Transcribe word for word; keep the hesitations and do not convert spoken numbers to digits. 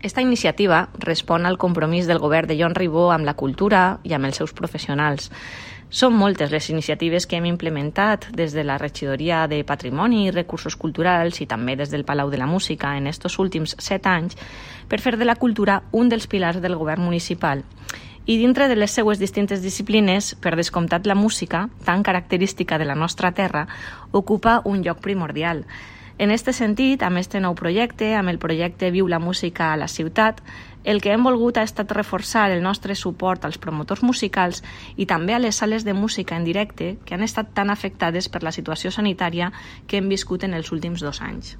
Esta iniciativa respon al compromís del govern de Jon Ribó amb la cultura i amb els seus professionals. Són moltes les iniciatives que hem implementat des de la Regidoria de Patrimoni i Recursos Culturals i també des del Palau de la Música en estos últims set anys per fer de la cultura un dels pilars del govern municipal. I dintre de les seues distintes disciplines, per descomptat la música, tan característica de la nostra terra, ocupa un lloc primordial. En aquest sentit, amb aquest nou projecte, amb el projecte Viu la música a la ciutat, el que hem volgut ha estat reforçar el nostre suport als promotors musicals i també a les sales de música en directe que han estat tan afectades per la situació sanitària que hem viscut en els últims dos anys.